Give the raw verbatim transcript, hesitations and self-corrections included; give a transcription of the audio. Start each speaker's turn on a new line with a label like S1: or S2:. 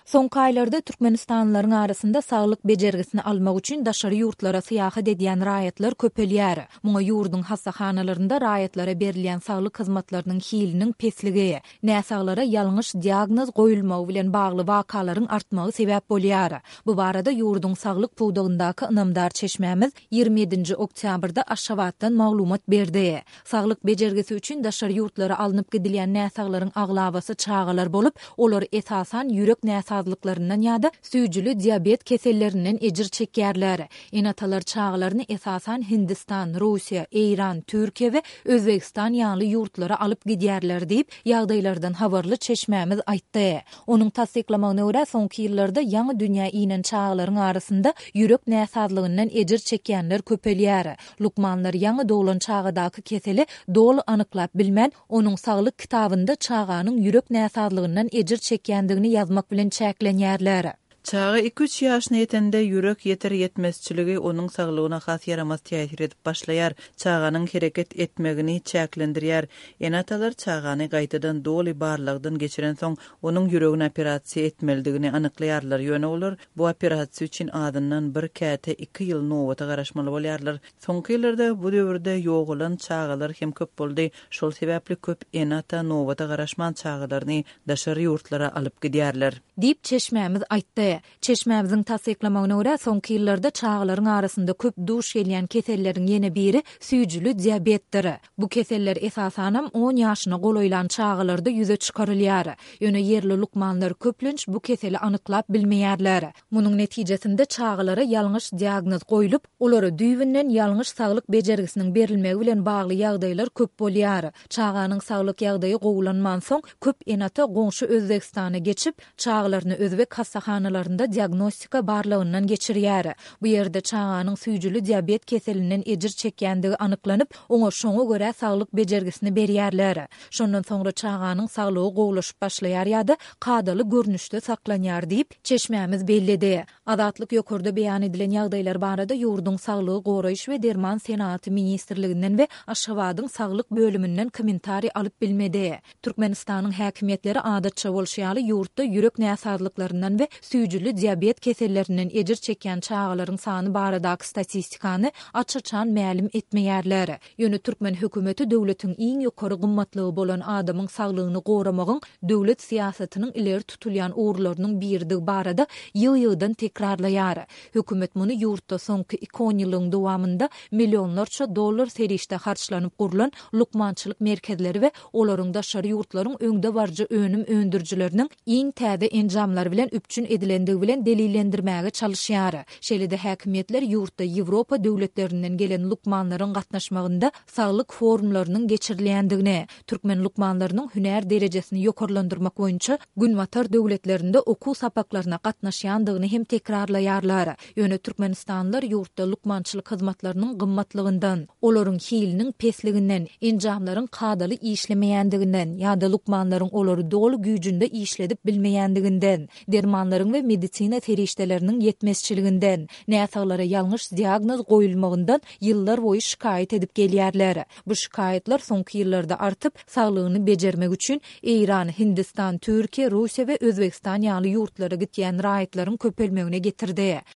S1: Soňky aýlarda türkmenistanlylaryň arasynda saglyk bejergisini almak üçin daşary ýurtlara syýahat edýän raýatlar köpelýär. Muňa ýurduň hassahanalarynda raýatlara berilýän saglyk hyzmatlarynyň hiliniň pesligi, näsaglara ýalňyş diagnoz goýulmagy bilen bagly wakalaryň artmagy sebäp bolýar. Bu barada ýurduň saglyk pudagyndaky ynamdar çeşmämiz ýigrimi ýedinji oktýabrda Aşgabatdan maglumat berdi. Saglyk bejergisi üçin daşary ýurtlara alnyp gidilýän näsaglaryň aglabasy çagalar bolup, olar esasan ýürek näsazlyklaryndan ýa-da süýjüli diabet kesellerinden ejir çekýärler. Ene-atalar çagalaryny esasan Hindistan, Russiýa, Eýran, Türkiýe we Özbegistan ýaly ýurtlara alyp gidýärler diýip, ýagdaýlardan habarly çeşmämiz aýtdy. Onuň tassyklamagyna görä, soňky ýyllarda ýaňy dünýä inen çagalaryň arasynda ýürek näsazlygyndan ejir çekýänler köpelýär. Lukmanlar ýaňy doglan çagadaky keseli doly anyklap bilmän, onuň saglyk kitabynda çaganyň ýürek näsazlygyndan ejir çekýändigini ýazmak bilen çäklenýärler.
S2: Çaga iki-üç ýaşyna ýetende ýürek ýeter ýetmezçiligi onuň saglygyna has ýaramaz täsir edip başlaýar. Çaganyň hereket etmegini çäklendirýär. Ene-atalar çagany gaýtadan doly barlagdan geçirensoň, onuň ýüregini operasiýa etmelidigini anyklaýarlar. Ýöne olar bu operasiýa üçin azyndan bir käte iki ýyl nobata garaşmaly bolýarlar. Soňky ýyllarda bu döwürde ýogalan çagalar hem köp boldy. Şol sebäpli köp ene-ata nobata garaşman çagalaryny daşary ýurtlara alyp gidýärler.
S1: Diýip, çeşmämiz aýtdy. Çeşmämiziň tassyklamagyna görä, soňky ýyllarda çagalaryň arasynda köp duş gelýän keselleriň ýene biri süýjüli diabetdir. Bu keseller esasanam on ýaşyna golaýlan çagalarda ýüze çykarylýar. Ýöne ýerli lukmanlar köplenç bu keseli anyklap bilmeýärler. Munuň netijesinde çagalara ýalňyş diagnoz goýlup, olara düýbünden ýalňyş saglyk bejergisiniň berilmegi bilen bagly ýagdaýlar köp bolýar. Çaganyň saglyk ýagdaýy gowulanmansoň, köp ene-ata goňşy Özbegistana geçip, çagalaryny özbek hassahanalarynda diagnostika barlagyndan geçirýär. Bu ýerde çaganyň süýjüli diabet keselinden ejir çekýändigi anyklanyp, oňa şoňa görä saglyk bejergisini berýärler. Şondan soňra çaganyň saglygy gowulaşyp başlaýar ýa-da kadaly görnüşde saklanýar diýip, çeşmämiz belledi. Azatlyk ýokarda beýan edilen ýagdaýlar barada ýurduň Saglygy goraýyş we derman senagaty ministrliginden we Aşgabadyň saglyk bölüminden kommentariý alyp bilmedi. Türkmenistanyň häkimiýetleri adatça bolşy ýaly ýurtda ýürek näsazlyklaryndan we süýjüli diabet kesellerinden ejir çekýän çagalaryň sany baradaky statistikany aç-açan mälim etmeýärler. Ýöne türkmen hökümeti döwletiň iň ýokary gymmatlygy bolan adamyň saglygyny goramagyň döwlet syýasatynyň ileri tutulýan ugurlarynyň biridigi barada ýygy-ýygydan tekrarlaýar. Hökümet muny ýurtda soňky iki onýyllygyň dowamynda millionlarça dollar serişde harçlanyp gurlan lukmançylyk merkezleri we olaryň daşary ýurtlaryň öňdebaryjy önüm öndürijileriniň iň täze enjamlary bilen üpjün edilendigi bilen delillendirmäge çalyşýar. Şeýle-de häkimiýetler ýurtda Ýewropa döwletlerinden gelen lukmanlaryň gatnaşmagynda saglyk forumlarynyň geçirilýändigini, türkmen lukmanlarynyň hünär derejesini ýokarlandyrmak boýunça Günbatar döwletlerinde okuw sapaklaryna gatnaşýandygyny hem tekrarlaýarlar. Ýöne türkmenistanlylar ýurtda lukmançylyk hyzmatlarynyň gymmatlygyndan, olaryň hiliniň pesliginden, enjamlaryň kadaly işlemeýändiginden ýa-da lukmanlaryň olary doly güýjünde işledip bilmeýändiginden, dermanlaryň we medisina serişdeleriniň ýetmezçiliginden, näsaglara ýalňyş diagnoz goýulmagyndan ýyllar boýy şikaýat edip gelýärler. Bu şikaýatlar soňky ýyllarda artyp, saglygyny bejermek üçin Eýran, Hindistan, Türkiýe, Russiýa we Özbegistan ýaly ýurtlara gitýän raýatlaryň köpelmegine getirdi.